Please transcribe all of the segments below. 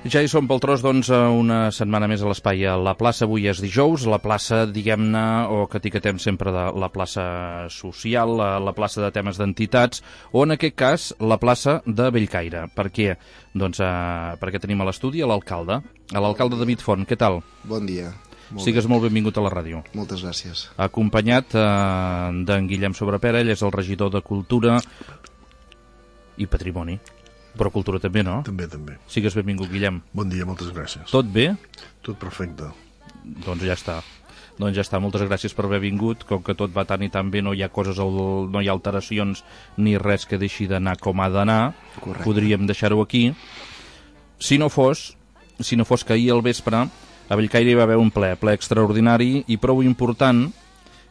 Ja hi som pel tros, doncs, una setmana més a l'espai a la plaça. Avui és dijous, la plaça, diguem-ne, o que etiquetem sempre de la plaça social, la plaça de temes d'entitats, o en aquest cas, la plaça de Bellcaire. Per què? Doncs perquè tenim a l'estudi a l'alcalde David Font. Què tal? Bon dia. Sigues molt benvingut a la ràdio. Moltes gràcies. Acompanyat d'en Guillem Sobrepera, ell és el regidor de Cultura i Patrimoni. Però cultura també, no? També. Sigues benvingut, Guillem. Bon dia, moltes gràcies. Tot bé? Tot perfecte. Doncs ja està. Moltes gràcies per haver vingut. Com que tot va tan i tan bé, no hi ha coses, no hi ha alteracions ni res que deixi d'anar com ha d'anar. Correcte. Podríem deixar-ho aquí. Si no fos que ahir al vespre a Bellcaire hi va haver un ple extraordinari i prou important,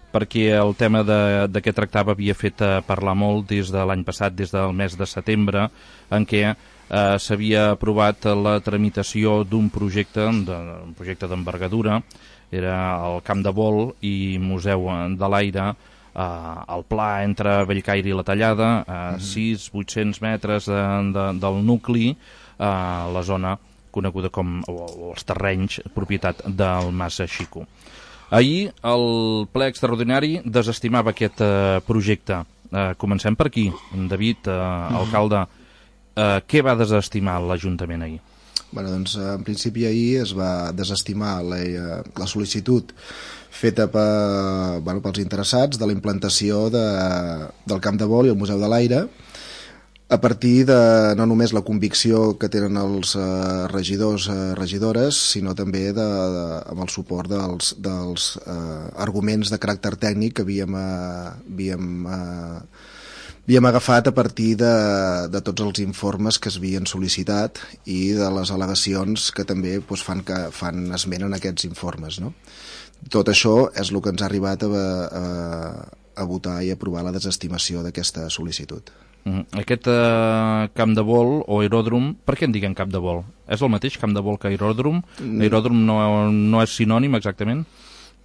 perquè el tema de què tractava havia fet parlar molt des de l'any passat, des del mes de setembre, en què s'havia aprovat la tramitació d'un projecte d'envergadura. Era el Camp de Vol i Museu de l'Aire, el pla entre Bellcaire i la Tallada, 600-800 metres del nucli, la zona coneguda com els terrenys, propietat del Mas Xico. Ahir el ple extraordinari desestimava aquest projecte. Comencem per aquí. David, alcalde, què va desestimar l'Ajuntament ahir? Doncs, en principi ahir es va desestimar la sol·licitud feta pels interessats de la implantació del Camp de Vol i el Museu de l'Aire, a partir de no només la convicció que tenen els regidors, regidores, sinó també amb el suport dels arguments de caràcter tècnic que havíem agafat a partir de tots els informes que s'havien sol·licitat i de les al·legacions que també fan esment en aquests informes, no? Tot això és el que ens ha arribat a votar i aprovar la desestimació d'aquesta sol·licitud. Aquest camp de vol o aeròdrom, per què en diguem camp de vol? És el mateix camp de vol que aeròdrom? Aeròdrom no és sinònim exactament?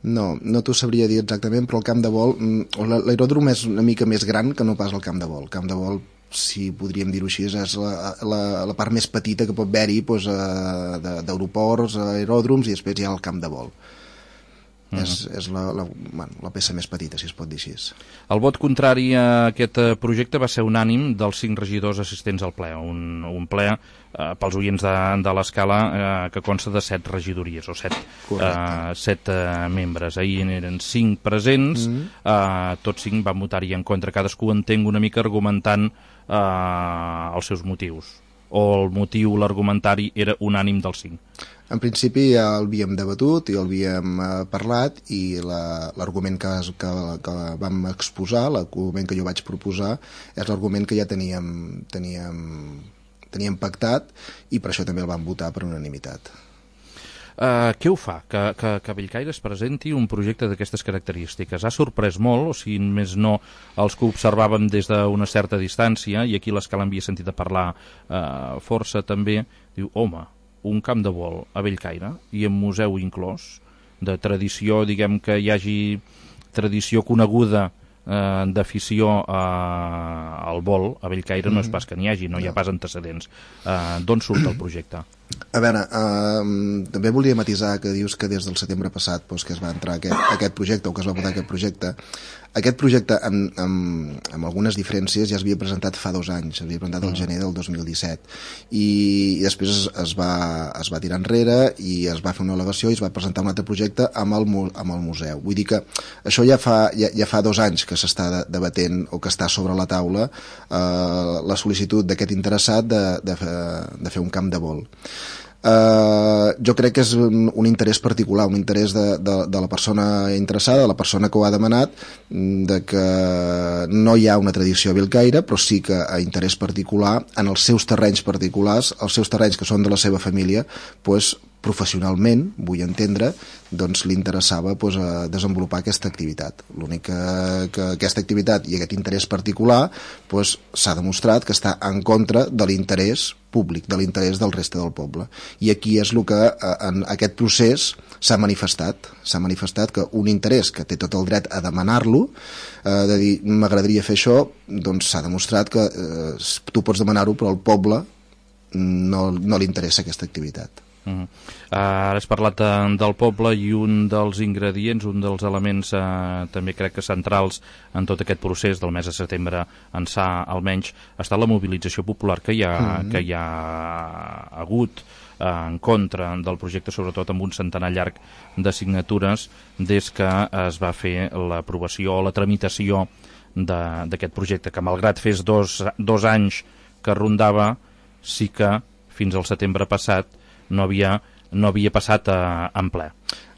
No t'ho sabria dir exactament, però el camp de vol, l'aeròdrom és una mica més gran que no pas el camp de vol. El camp de vol, si podríem dir-ho així, és la part més petita que pot haver-hi d'aeroports, aeròdroms, i després hi ha el camp de vol. És la peça més petita, si es pot dir així. El vot contrari a aquest projecte va ser unànim dels 5 regidors assistents al ple. Un ple, pels oients de l'escala, que consta de 7 regidories, o 7 membres. Ahir eren 5 presents, tots 5 van votar-hi en contra. Cadascú entenc una mica argumentant els seus motius. O el motiu, l'argumentari, era unànim dels 5? En principi ja l'havíem debatut i l'havíem parlat, i l'argument que vam exposar, l'argument que jo vaig proposar, és l'argument que ja teníem pactat, i per això també el vam votar per unanimitat. Què ho fa que Bellcaire es presenti un projecte d'aquestes característiques? Ha sorprès molt, o si més no els que observàvem des d'una certa distància, i aquí l'escala havia sentit a parlar força també, diu, home, un camp de vol a Bellcaire i amb museu inclòs, de tradició, diguem que hi hagi tradició coneguda d'afició al vol a Bellcaire, no és pas que n'hi hagi, no hi ha pas antecedents. D'on surt el projecte? A veure, també volia matisar que dius que des del setembre passat que es va entrar aquest projecte, o que es va votar aquest projecte. Aquest projecte, amb algunes diferències, ja es havia presentat fa 2 anys, s'havia presentat el gener del 2017, i després es va tirar enrere i es va fer una al·legació i es va presentar un altre projecte amb el museu. Vull dir que això ja fa 2 anys que s'està debatent, o que està sobre la taula, la sol·licitud d'aquest interessat de fer un camp de vol. Jo crec que és un interès particular, un interès de la persona interessada, de la persona que ho ha demanat, de que no hi ha una tradició a Bellcaire, però sí que a interès particular, en els seus terrenys particulars, els seus terrenys que són de la seva família, professionalment, vull entendre, li interessava desenvolupar aquesta activitat. L'únic que aquesta activitat i aquest interès particular s'ha demostrat que està en contra de l'interès públic, de l'interès del reste del poble. I aquí és el que en aquest procés s'ha manifestat que un interès que té tot el dret a demanar-lo, de dir m'agradaria fer això, doncs s'ha demostrat que tu pots demanar-ho, però el poble no li interessa aquesta activitat. Ara has parlat del poble i un dels ingredients, un dels elements també crec que centrals en tot aquest procés del mes de setembre ençà almenys ha estat la mobilització popular que hi ha hagut en contra del projecte, sobretot amb un centenar llarg de signatures des que es va fer l'aprovació o la tramitació d'aquest projecte, que malgrat fes dos anys que rondava, sí que fins al setembre passat no havia passat en ple.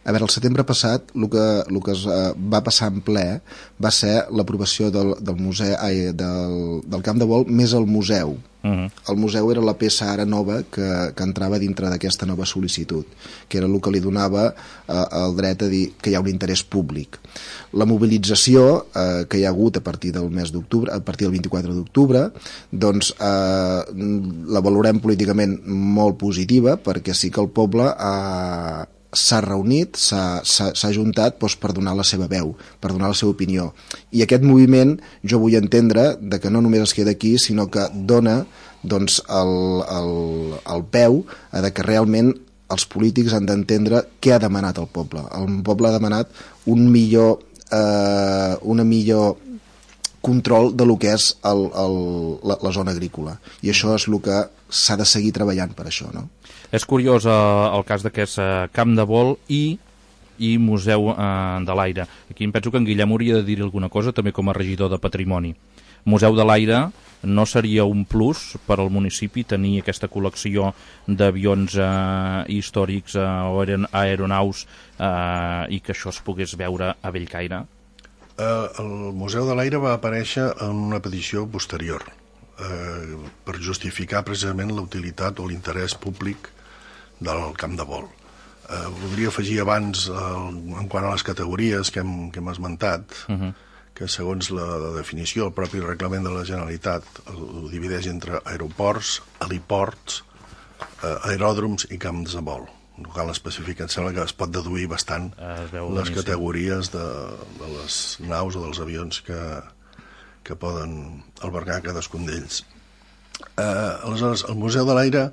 A veure, el setembre passat el que es va passar en ple va ser l'aprovació del museu, del camp de vol més el museu. El museu era la peça ara nova que entrava dintre d'aquesta nova sol·licitud, que era el que li donava el dret a dir que hi ha un interès públic. La mobilització que hi ha hagut a partir del mes d'octubre, a partir del 24 d'octubre, doncs la valorem políticament molt positiva, perquè sí que el poble s'ha reunit, s'ha ajuntat per donar la seva veu, per donar la seva opinió. I aquest moviment jo vull entendre que no només es queda aquí, sinó que dona doncs, el peu a que realment els polítics han d'entendre què ha demanat el poble. El poble ha demanat una millor control de lo que és la zona agrícola. I això és el que s'ha de seguir treballant per això, no? És curiós el cas d'aquest camp de vol i Museu de l'Aire. Aquí em penso que en Guillem hauria de dir alguna cosa, també com a regidor de Patrimoni. Museu de l'Aire no seria un plus per al municipi tenir aquesta col·lecció d'avions històrics o aeronaus i que això es pogués veure a Bellcaire? El Museu de l'Aire va aparèixer en una petició posterior per justificar precisament la utilitat o l'interès públic del camp de vol. Voldria afegir abans, en quant a les categories que hem esmentat, que segons la definició, el propi reglament de la Generalitat ho divideix entre aeroports, heliports, aeròdroms i camps de vol. No cal especificar, em sembla que es pot deduir bastant les categories de les naus o dels avions que poden albergar cadascun d'ells. Aleshores, el Museu de l'Aire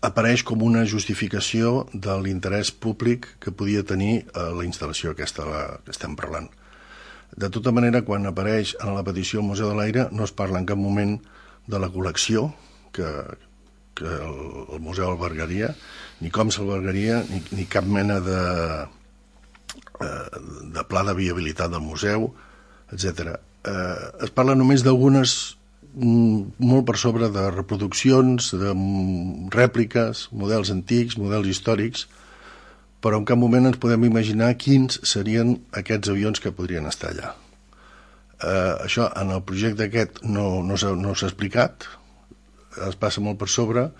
apareix com una justificació de l'interès públic que podia tenir la instal·lació aquesta que estem parlant. De tota manera, quan apareix en la petició al Museu de l'Aire no es parla en cap moment de la col·lecció que el museu albergaria, ni com s'albergaria, ni cap mena de pla de viabilitat del museu, etc. Es parla només d'algunes, molt per sobre de reproduccions, de rèpliques, models antics, models històrics, però en cap moment ens podem imaginar quins serien aquests avions que podrien estar allà. Això en el projecte aquest no s'ha explicat, es passa molt per sobre.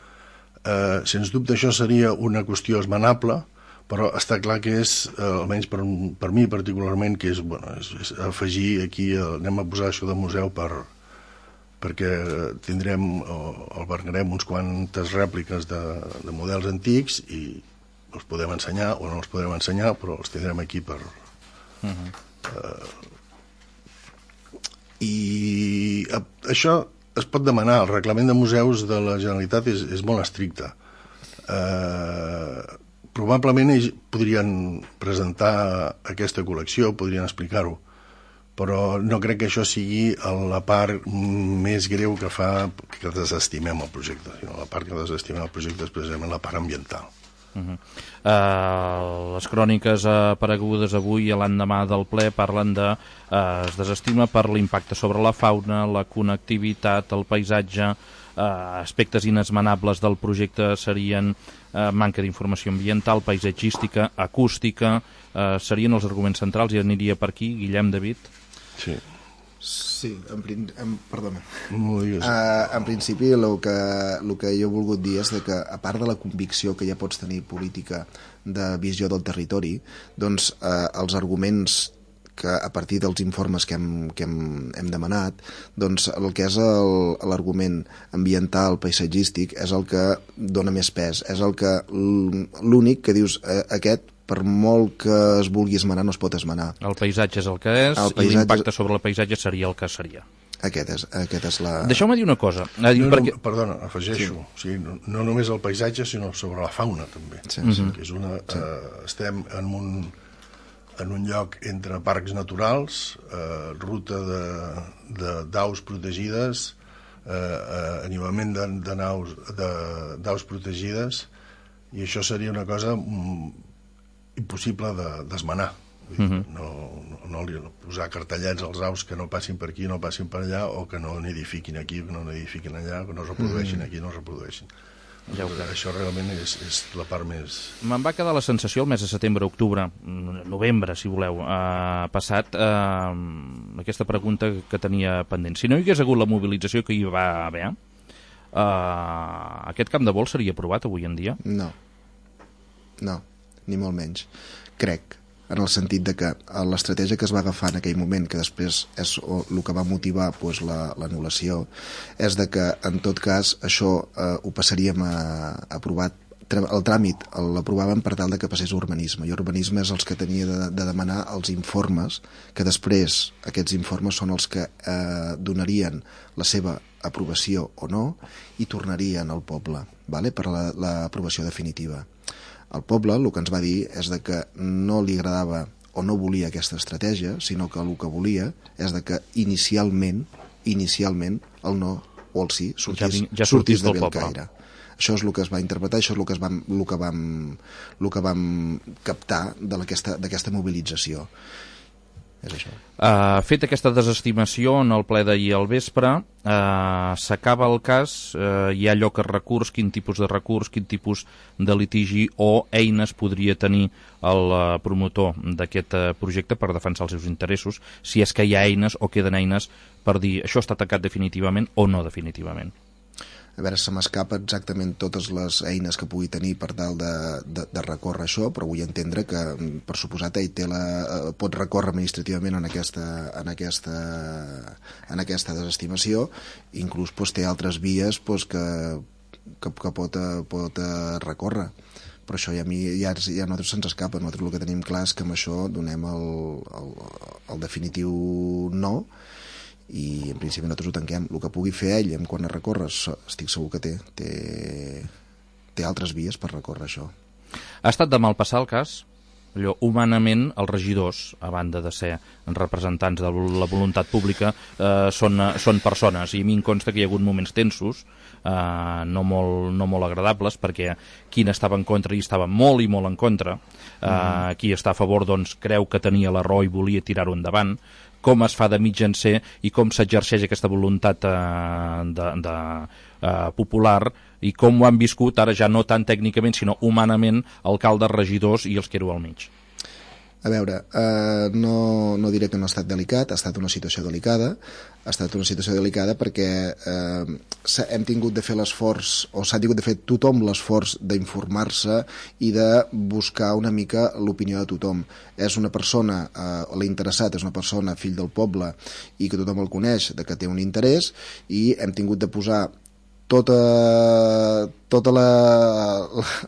Sens dubte això seria una qüestió esmenable, però està clar que és, almenys per mi particularment, que és afegir aquí, anem a posar això de museu perquè albergarem uns quantes rèpliques de models antics i els podem ensenyar o no els podrem ensenyar, però els tindrem aquí per... I això es pot demanar. El reglament de museus de la Generalitat és molt estricte. Probablement ells podrien presentar aquesta col·lecció, podrien explicar-ho, però no crec que això sigui la part més greu que fa que desestimem el projecte, sinó la part que desestimem el projecte és precisament la part ambiental. Les cròniques aparegudes avui a l'endemà del ple parlen de es desestima per l'impacte sobre la fauna, la connectivitat, el paisatge. Aspectes inesmenables del projecte serien manca d'informació ambiental, paisatgística, acústica, serien els arguments centrals, i aniria per aquí. Guillem, David? Sí, perdona. En principi el que jo he volgut dir és que a part de la convicció que ja pots tenir política de visió del territori, doncs els arguments que a partir dels informes que hem demanat, doncs el que és l'argument ambiental, paisatgístic, és el que dona més pes, és l'únic que dius aquest, per molt que es vulgui esmenar, no es pot esmenar. El paisatge és el que és, i l'impacte sobre el paisatge seria el que seria. Aquest és la... Deixeu-me dir una cosa. Perdona, afegeixo. Sí. O sigui, no només el paisatge, sinó sobre la fauna, també. Sí. Que és estem en un lloc entre parcs naturals, ruta d'aus protegides, animament d'aus protegides, i això seria una cosa impossible d'esmenar. No posar cartellets als aus que no passin per aquí, no passin per allà, o que no n'edifiquin aquí, que no n'edifiquin allà, que no es reprodueixin aquí, no es reprodueixin. Això realment és la part més... Me'n va quedar la sensació el mes de setembre, octubre, novembre, si voleu, passat, aquesta pregunta que tenia pendent. Si no hi hagués hagut la mobilització que hi va haver, aquest camp de vol seria aprovat avui en dia? No, ni molt menys. Crec, en el sentit de que l'estratègia que es va agafar en aquell moment, que després és el que va motivar l'anul·lació, és de que, en tot cas, això ho passaríem a aprovar. El tràmit l'aprovàvem per tal de que passés a urbanisme, i urbanisme és els que tenia de demanar els informes, que després aquests informes són els que donarien la seva aprovació o no i tornarien al poble, per l'aprovació definitiva. El poble el que ens va dir és de que no li agradava o no volia aquesta estratègia, sinó que el que volia és de que inicialment el no o el sí sortís de Bellcaire. Això és el que es va interpretar, això és el que vam captar d'aquesta mobilització. És això. Fet aquesta desestimació en el ple d'ahir al vespre, s'acaba el cas, hi ha lloc a recurs, quin tipus de recurs, quin tipus de litigi o eines podria tenir el promotor d'aquest projecte per defensar els seus interessos, si és que hi ha eines o queden eines per dir això està tancat definitivament o no definitivament. A veure, se m'escapa exactament totes les eines que pugui tenir per tal de recórrer això, però vull entendre que, per suposat, ell pot recórrer administrativament en aquesta desestimació, inclús té altres vies que pot recórrer. Però això ja a nosaltres se'ns escapa. Nosaltres el que tenim clar és que amb això donem el definitiu no, i en principi nosaltres ho tanquem. El que pugui fer ell en quant a recórrer, estic segur que té altres vies per recórrer això. Ha estat de mal passar el cas? Humanament, els regidors, a banda de ser representants de la voluntat pública, són persones, i a mi em consta que hi ha hagut moments tensos, no molt agradables, perquè qui n'estava en contra hi estava molt i molt en contra, qui està a favor doncs creu que tenia la raó i volia tirar-ho endavant, com es fa de mitjancer i com s'exerceix aquesta voluntat popular i com ho han viscut, ara ja no tant tècnicament sinó humanament, alcaldes, regidors i els que éreu al mig. A veure, no diré que no ha estat delicat, ha estat una situació delicada, perquè hem tingut de fer l'esforç, o s'ha tingut de fer tothom l'esforç d'informar-se i de buscar una mica l'opinió de tothom. És una persona, l'interessat és una persona, fill del poble, i que tothom el coneix, que té un interès, i hem tingut de posar tota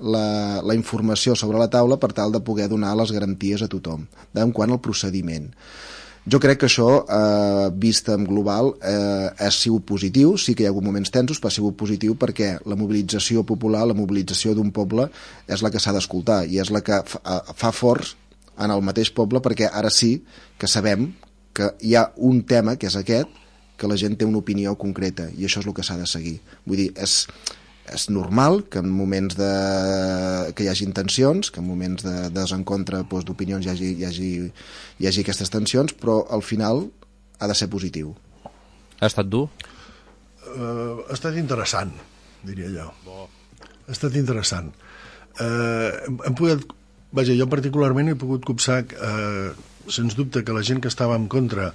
la informació sobre la taula per tal de poder donar les garanties a tothom en quant al procediment. Jo crec que això, vist en global, ha sigut positiu. Sí que hi ha hagut moments tensos, però ha sigut positiu perquè la mobilització popular, la mobilització d'un poble, és la que s'ha d'escoltar i és la que fa forts en el mateix poble, perquè ara sí que sabem que hi ha un tema, que és aquest, que la gent té una opinió concreta, i això és el que s'ha de seguir. Vull dir, és normal que en moments que hi hagi tensions, que en moments de desencontre d'opinions hi hagi aquestes tensions, però al final ha de ser positiu. Ha estat dur? Ha estat interessant, diria jo. Ha estat interessant. Jo particularment he pogut copsar, sens dubte, que la gent que estava en contra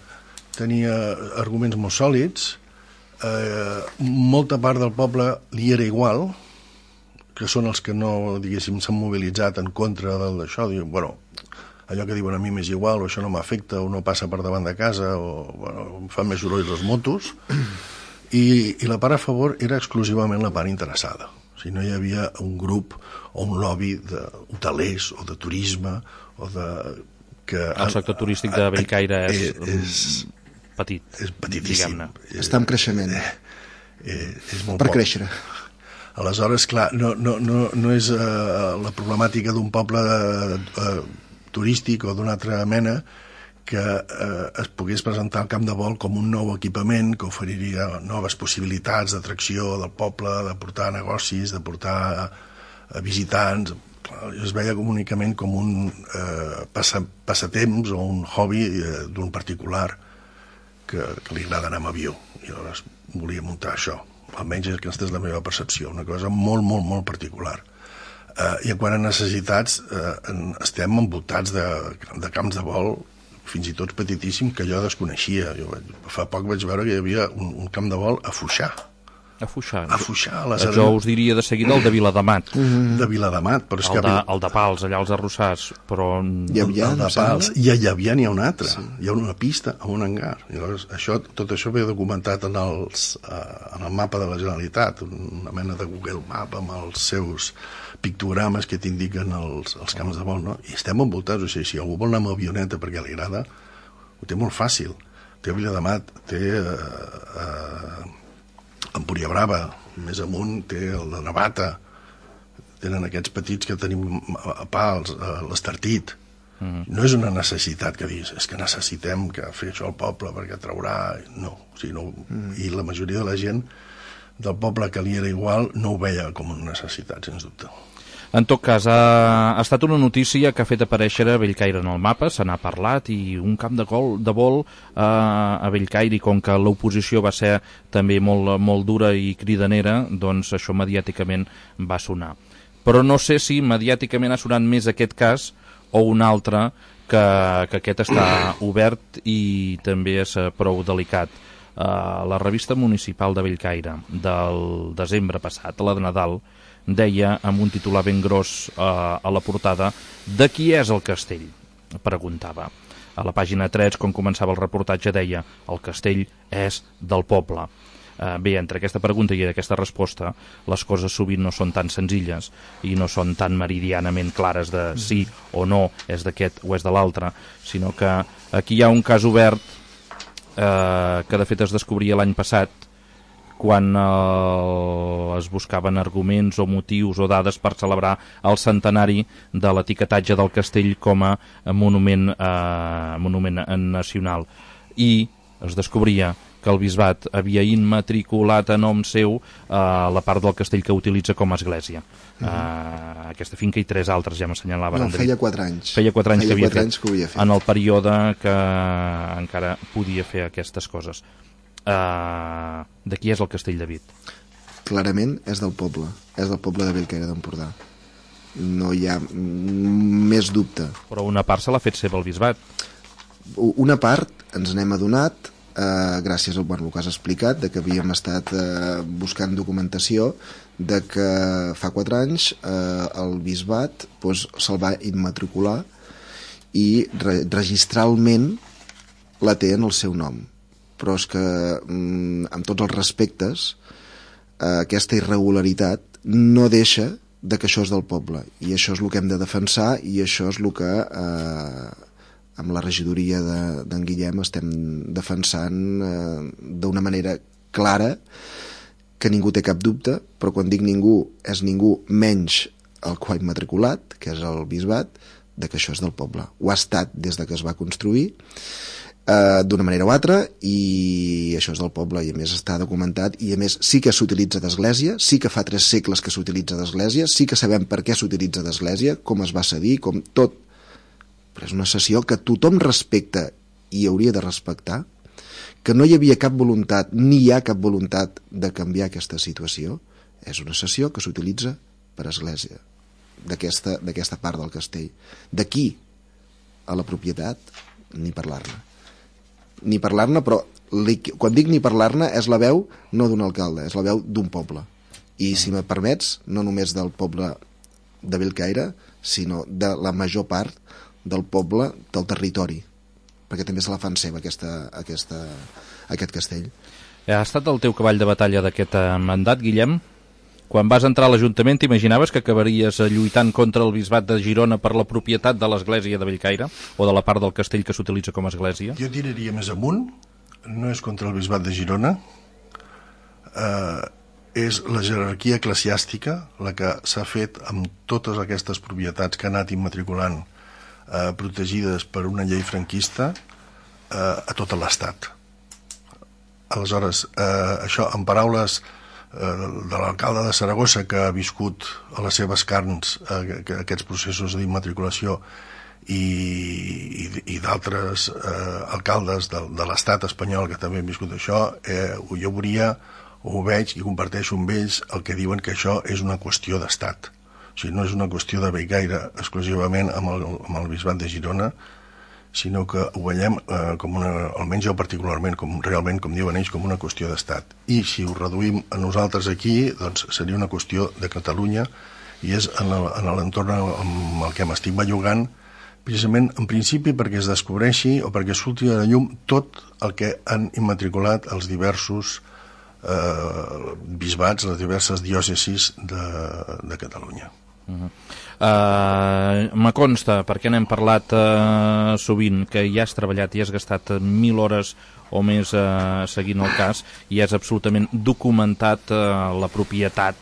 tenia arguments molt sòlids, molta part del poble li era igual, que són els que no, diguéssim, s'han mobilitzat en contra d'això, diuen, bueno, allò que diuen a mi m'és igual, o això no m'afecta, o no passa per davant de casa, o bueno, em fan més soroll les motos, i la part a favor era exclusivament la part interessada. O sigui, no hi havia un grup o un lobby d'hotelers o de turisme, o de... El sector turístic de Bellcaire és petit, és petitíssim. diguem-ne. Està en creixement. És molt Per poc. créixer. Aleshores, clar, no és la problemàtica d'un poble turístic o d'una altra mena que es pogués presentar al camp de vol com un nou equipament que oferiria noves possibilitats d'atracció del poble, de portar negocis, de portar visitants. Clar, es veia únicament com un passatemps o un hobby d'un particular que li agrada anar amb avió. I llavors volia muntar això. Almenys aquesta és la meva percepció, una cosa molt, molt, molt particular. I en quant a necessitats, estem envoltats de camps de vol, fins i tot petitíssim, que jo desconeixia. Fa poc vaig veure que hi havia un camp de vol a Foixà. A Foixà. A Foixà, a la Serena. Jo us diria de seguida el de Viladamat. De Viladamat, però és que... El de Pals, allà als Arrossars, però... Llavià, el de Pals. I a Llavià n'hi ha una altra. Sí. Hi ha una pista amb un hangar. I llavors, tot això ve documentat en el mapa de la Generalitat, una mena de Google Map amb els seus pictogrames que t'indiquen els camps de vol, no? I estem envoltats, o sigui, si algú vol anar amb avioneta perquè li agrada, ho té molt fàcil. Té a Viladamat, té Empúria Brava, més amunt té el de Navata, tenen aquests petits que tenim a Pals, l'Estartit. No és una necessitat que diguis, és que necessitem que fer això al poble perquè traurà... No, o sigui, no. I la majoria de la gent del poble que li era igual no ho veia com una necessitat, sens dubte. En tot cas, ha estat una notícia que ha fet aparèixer a Bellcaire en el mapa, se n'ha parlat, i un camp de vol a Bellcaire, i com que l'oposició va ser també molt dura i cridanera, doncs això mediàticament va sonar. Però no sé si mediàticament ha sonat més aquest cas o un altre, que aquest està obert i també és prou delicat. La revista municipal de Bellcaire del desembre passat, la de Nadal, deia amb un titular ben gros a la portada: de qui és el castell? Preguntava. A la pàgina 3, quan començava el reportatge, deia: el castell és del poble. Bé, entre aquesta pregunta i aquesta resposta, les coses sovint no són tan senzilles i no són tan meridianament clares de sí o no, és d'aquest o és de l'altre, sinó que aquí hi ha un cas obert que de fet es descobria l'any passat, quan es buscaven arguments o motius o dades per celebrar el centenari de l'etiquetatge del castell com a monument nacional. I es descobria que el bisbat havia immatriculat a nom seu la part del castell que utilitza com a església. Aquesta finca i 3 altres, ja m'assenyalava. No, feia 4 anys. Feia 4 anys que havia fet. En el període que encara podia fer aquestes coses. De qui és el castell de Vic? Clarament és del poble de Bellcaire d'Empordà. No hi ha més dubte. Però una part se l'ha fet seva el bisbat. Una part ens n'hem adonat gràcies al que has explicat, de que havíem estat buscant documentació de que fa 4 anys el bisbat se'l va immatricular i registralment la té en el seu nom. Però és que, amb tots els respectes, aquesta irregularitat no deixa de que això és del poble. I això és el que hem de defensar i això és el que, amb la regidoria d'en Guillem, estem defensant d'una manera clara, que ningú té cap dubte, però quan dic ningú, és ningú menys el que ha immatriculat, que és el bisbat, de que això és del poble. Ho ha estat des de que es va construir, d'una manera o altra, i això és del poble, i a més està documentat, i a més sí que s'utilitza d'església, sí que fa 3 segles que s'utilitza d'església, sí que sabem per què s'utilitza d'església, com es va cedir, com tot, però és una cessió que tothom respecta i hauria de respectar, que no hi havia cap voluntat, ni hi ha cap voluntat de canviar aquesta situació. És una cessió que s'utilitza per església d'aquesta part del castell. D'aquí a la propietat, ni parlar-ne. Ni parlar-ne, però quan dic ni parlar-ne és la veu no d'un alcalde, és la veu d'un poble. I si me permets, no només del poble de Bellcaire, sinó de la major part del poble del territori, perquè també se la fan seva aquest castell. Ha estat el teu cavall de batalla d'aquest mandat, Guillem? Quan vas entrar a l'Ajuntament, t'imaginaves que acabaries lluitant contra el bisbat de Girona per la propietat de l'església de Bellcaire o de la part del castell que s'utilitza com a església? Jo tiraria més amunt. no és contra el bisbat de Girona, és la jerarquia eclesiàstica la que s'ha fet amb totes aquestes propietats que ha anat immatriculant protegides per una llei franquista a tot l'Estat. Aleshores, això en paraules de l'alcalde de Saragossa, que ha viscut a les seves carns aquests processos d'immatriculació, i d'altres alcaldes de l'estat espanyol que també han viscut això, jo ho veig i comparteixo amb ells el que diuen, que això és una qüestió d'estat. O sigui, no és una qüestió de Bellcaire exclusivament amb el bisbat de Girona, sinó que ho veiem almenys jo particularment, realment, com diuen ells, com una qüestió d'estat. I si ho reduïm a nosaltres aquí, doncs seria una qüestió de Catalunya, i és en l'entorn amb el que m'estic bellugant, precisament en principi perquè es descobreixi o perquè surti a la llum tot el que han immatriculat els diversos bisbats, les diverses diòcesis de Catalunya. Me consta, perquè n'hem parlat sovint, que ja has treballat i has gastat 1.000 hores o més seguint el cas, i és absolutament documentat la propietat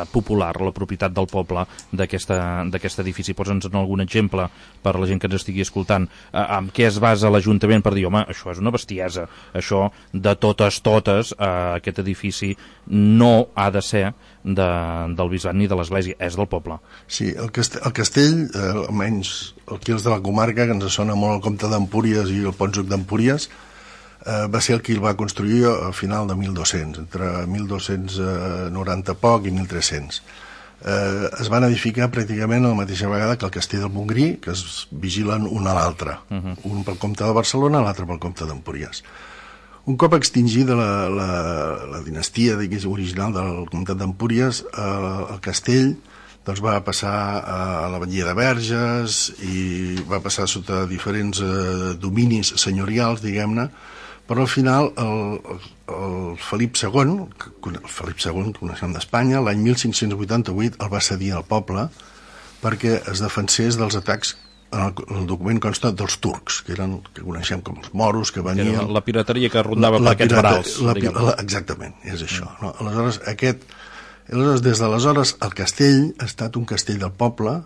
popular, la propietat del poble d'aquest edifici. Posa'ns algun exemple per a la gent que ens estigui escoltant. Amb què es basa l'Ajuntament per dir, home, això és una bestiesa, això de totes, aquest edifici no ha de ser del bisbat ni de l'església, és del poble. Sí, el castell, almenys aquí els de la comarca, que ens sona molt el comte d'Empúries i el Pònsoc d'Empúries, va ser el que el va construir a final de 1200, entre 1290 poc i 1300. Es van edificar pràcticament a la mateixa vegada que el castell del Montgrí, que es vigilen un a l'altre, un pel comte de Barcelona, l'altre pel comte d'Empúries. Un cop extingida la dinastia original del comtat d'Empúries, el castell va passar a la batllia de Verges i va passar sota diferents dominis senyorials, diguem-ne, però al final el Felip II, que coneixem d'Espanya, l'any 1588 el va cedir al poble perquè es defensés dels atacs, en el document consta, dels turcs, que coneixem com els moros, que venien... La pirateria que rondava per aquests barals. Exactament, és això. Aleshores, des d'aleshores, el castell ha estat un castell del poble,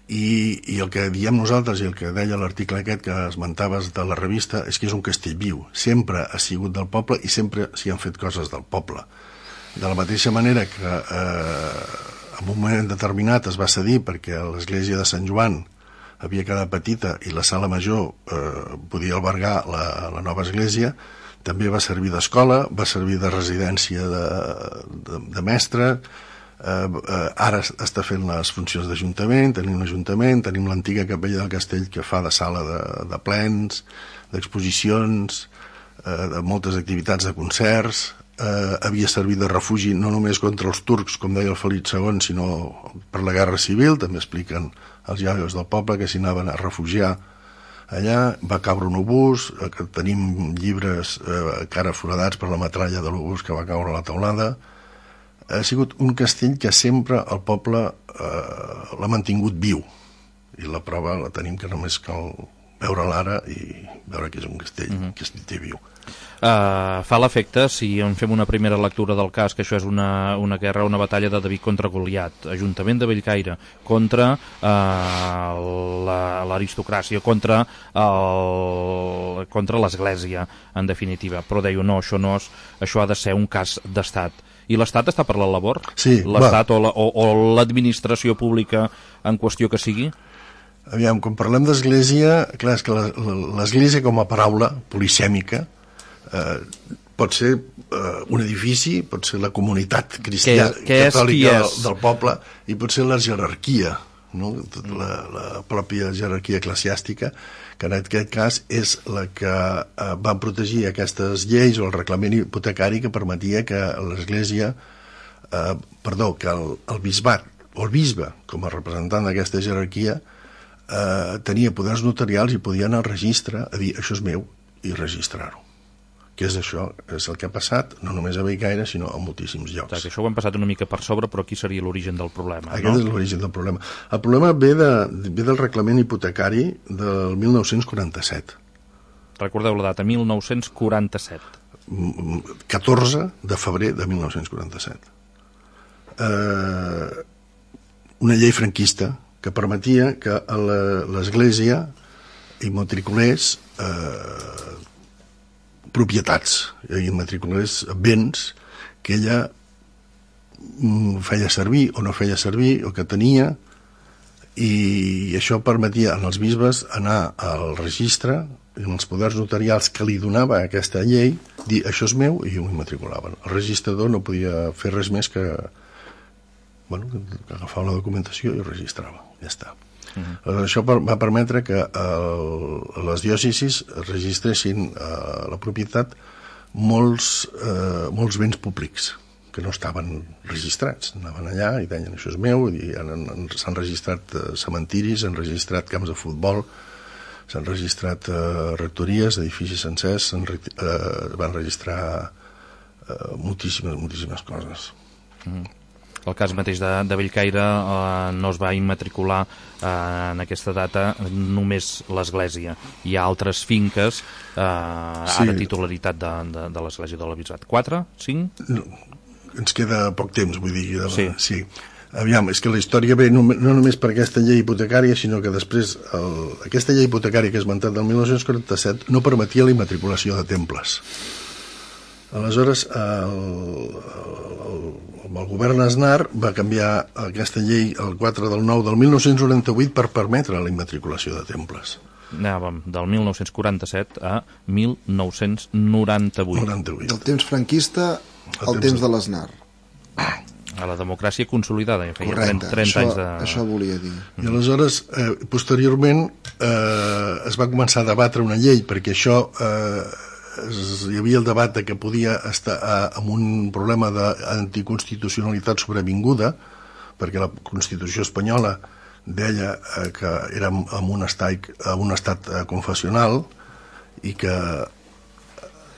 i el que diem nosaltres i el que deia l'article aquest que esmentaves de la revista és que és un castell viu, sempre ha sigut del poble i sempre s'hi han fet coses del poble. De la mateixa manera que en un moment determinat es va cedir perquè l'església de Sant Joan havia quedat petita i la sala major podia albergar la nova església, també va servir d'escola, va servir de residència de mestre. Ara està fent les funcions d'Ajuntament, tenim l'Ajuntament, tenim l'antiga capella del castell que fa de sala de plens, d'exposicions, de moltes activitats de concerts. Havia servit de refugi no només contra els turcs, com deia el Felip II, sinó per la Guerra Civil. També expliquen els iaios del poble que s'hi anaven a refugiar allà. Va caure un obús, que tenim llibres encara foradats per la metralla de l'obús que va caure a la teulada. Ha sigut un castell que sempre el poble l'ha mantingut viu, i la prova la tenim, que només cal veure l'ara i veure que és un castell que es té viu. Fa l'efecte, si en fem una primera lectura del cas, que això és una guerra, una batalla de David contra Goliat, Ajuntament de Bellcaire contra l'aristocràcia, contra l'església, en definitiva. Però deia, no, això ha de ser un cas d'estat. I l'Estat està per la labor? Sí. L'Estat o l'administració pública en qüestió que sigui? Aviam, quan parlem d'església, clar, és que l'església com a paraula polisèmica pot ser un edifici, pot ser la comunitat cristiana catòlica del poble, i pot ser la jerarquia, no? La pròpia jerarquia eclesiàstica, que en aquest cas és la que va protegir aquestes lleis o el reglament hipotecari que permetia que l'església, que el bisbat o el bisbe, com a representant d'aquesta jerarquia, tenia poders notarials i podia anar al registre a dir això és meu i registrar-ho. Què és això? És el que ha passat, no només a Bellcaire, sinó a moltíssims llocs. Que això ho hem passat una mica per sobre, però aquí seria l'origen del problema, no? Aquest és l'origen del problema. El problema ve del reglament hipotecari del 1947. Recordeu la data, 1947. 14 de febrer de 1947. Una llei franquista que permetia que l'Església immatriculés propietats, immatriculés béns que ella feia servir o no feia servir o que tenia, i això permetia als bisbes anar al registre i als poders notarials que li donava aquesta llei, dir això és meu, i ho immatriculaven. El registrador no podia fer res més que agafar la documentació i ho registrava, ja està. Això va permetre que les diòcesis registressin la propietat molts béns públics que no estaven registrats. Anaven allà i deien això és meu, i s'han registrat cementiris, s'han registrat camps de futbol, s'han registrat rectories, edificis sencers, van registrar moltíssimes coses. El cas mateix de Bellcaire no es va immatricular en aquesta data només l'Església. Hi ha altres finques ara titularitat de l'Església de l'Albisbat. 4? 5? No, ens queda poc temps, vull dir. Sí. Aviam, és que la història ve no només per aquesta llei hipotecària, sinó que després aquesta llei hipotecària que he esmentat del 1947 no permetia la immatriculació de temples. Aleshores, el govern Aznar va canviar aquesta llei el 4 del 9 del 1998 per permetre la immatriculació de temples. Anàvem del 1947 a 1998. Del temps franquista al temps de l'Aznar. A la democràcia consolidada, ja feia 30 anys de... Això volia dir. I aleshores, posteriorment, es va començar a debatre una llei, perquè això... hi havia el debat de que podia estar amb un problema d'anticonstitucionalitat sobrevinguda, perquè la Constitució espanyola deia que érem en un estat confessional i que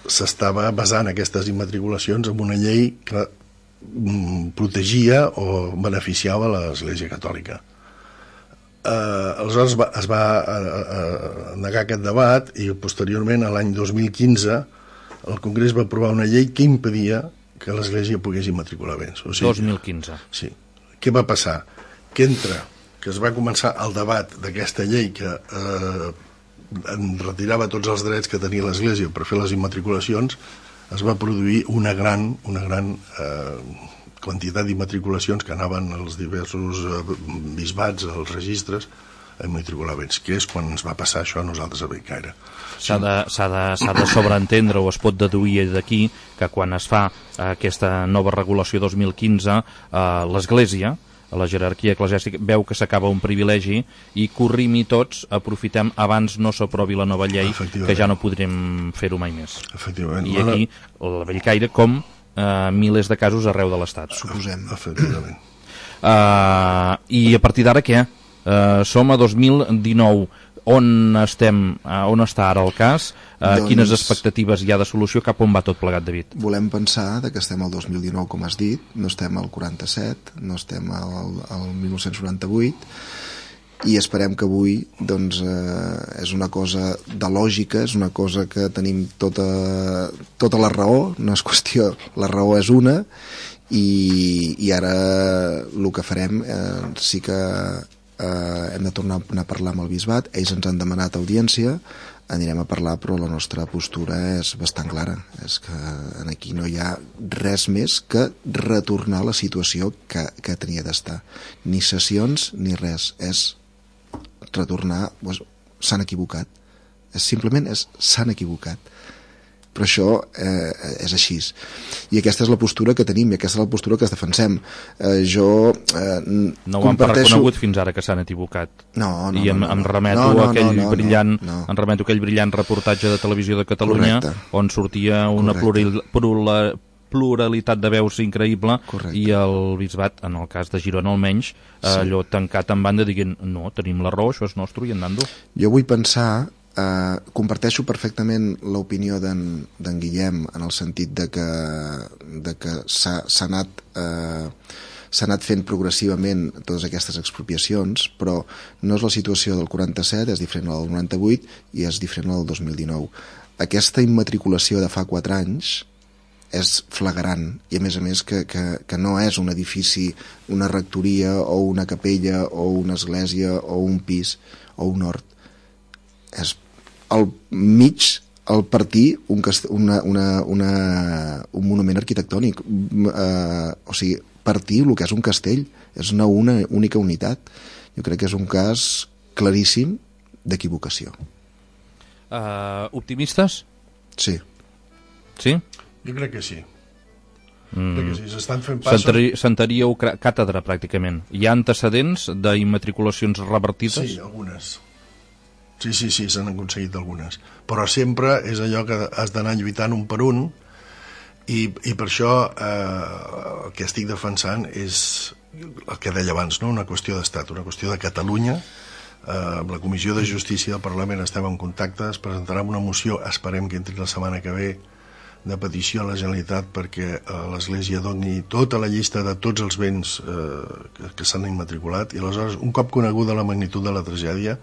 s'estava basant aquestes immatriculacions en una llei que protegia o beneficiava l'Església Catòlica. Aleshores es va negar aquest debat i posteriorment, l'any 2015, el Congrés va aprovar una llei que impedia que l'Església pogués immatricular béns. 2015. Sí. Què va passar? Que es va començar el debat d'aquesta llei que retirava tots els drets que tenia l'Església per fer les immatriculacions, es va produir una gran quantitat d'immatriculacions que anaven als diversos bisbats, als registres, a immatricular béns, que és quan ens va passar això a nosaltres a Bellcaire. S'ha de sobreentendre o es pot deduir d'aquí que quan es fa aquesta nova regulació 2015, l'Església, la jerarquia eclesiàstica, veu que s'acaba un privilegi i corrim i tots aprofitem abans no s'aprovi la nova llei, que ja no podrem fer-ho mai més. Efectivament. I aquí, la Bellcaire, com milers de casos arreu de l'Estat. Suposem. Efectivament. I a partir d'ara què? Som a 2019. On està ara el cas? Quines expectatives hi ha de solució? Cap on va tot plegat, David? Volem pensar que estem al 2019, com has dit, no estem al 47, no estem al 1998, i esperem que avui doncs, és una cosa de lògica, és una cosa que tenim tota la raó, no és qüestió, la raó és una, i ara el que farem sí que hem de tornar a parlar amb el bisbat. Ells ens han demanat audiència, anirem a parlar, però la nostra postura és bastant clara, és que aquí no hi ha res més que retornar a la situació que tenia d'estar, ni sessions ni res, és retornar, s'han equivocat, simplement s'han equivocat, però això és així, i aquesta és la postura que tenim i aquesta és la postura que defensem. Jo no ho han reconegut fins ara que s'han equivocat. No, i em remeto a aquell brillant reportatge de Televisió de Catalunya. Correcte. On sortia una pluralitat de veus increïble. Correcte. I el bisbat, en el cas de Girona almenys, allò tancat en banda dient no, tenim la raó, això és nostre i andando. Jo vull pensar, comparteixo perfectament l'opinió d'en Guillem en el sentit de que s'ha anat s'ha anat fent progressivament totes aquestes expropiacions, però no és la situació del 47, és diferent a la del 98 i és diferent a la del 2019. Aquesta immatriculació de fa 4 anys és flagrant, i a més que no és un edifici, una rectoria o una capella o una església o un pis o un hort, és al mig, al partir un monument arquitectònic, o sigui, partir el que és un castell, és una única unitat. Jo crec que és un cas claríssim d'equivocació. Optimistes? Sí. Sí? Jo crec que sí. Crec que sí, s'estan fent passos... Sentaríeu càtedra, pràcticament. Hi ha antecedents d'immatriculacions revertides? Sí, algunes. Sí, s'han aconseguit algunes. Però sempre és allò que has d'anar lluitant un per un, i per això el que estic defensant és el que deia abans, no? Una qüestió d'estat, una qüestió de Catalunya. Amb la Comissió de Justícia del Parlament estem en contacte, es presentarà una moció, esperem que entri la setmana que ve, de petició a la Generalitat perquè l'Església doni tota la llista de tots els béns que s'han immatriculat, i aleshores, un cop coneguda la magnitud de la tragèdia,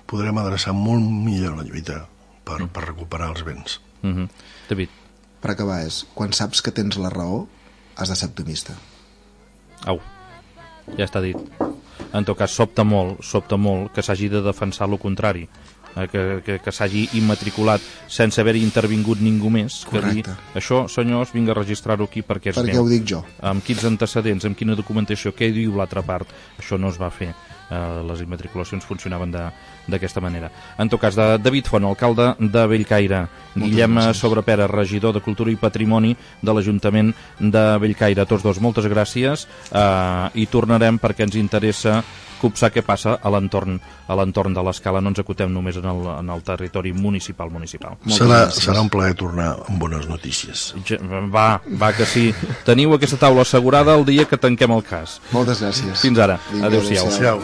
podrem adreçar molt millor la lluita per recuperar els béns. David. Per acabar quan saps que tens la raó, has de ser optimista. Au, ja està dit. En tot cas, sobta molt que s'hagi de defensar el contrari, que s'hagi immatriculat sense haver-hi intervingut ningú més. Correcte. Que dir, això, senyors, vinga a registrar-ho aquí perquè és perquè meu. Ho dic jo. Amb quins antecedents, amb quina documentació, què diu l'altra part? Això no es va fer. Les immatriculacions funcionaven d'aquesta manera. En tot cas, David Font, alcalde de Bellcaire, Guillem Sobrepera, regidor de Cultura i Patrimoni de l'Ajuntament de Bellcaire, tots dos, moltes gràcies, i tornarem perquè ens interessa copsar què passa a l'entorn de l'Escala. No ens acotem només en el territori municipal. Serà un plaer tornar amb bones notícies. Va que sí. Teniu aquesta taula assegurada el dia que tanquem el cas. Moltes gràcies. Fins ara. Adéu-siau. Adéu.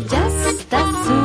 Just as soon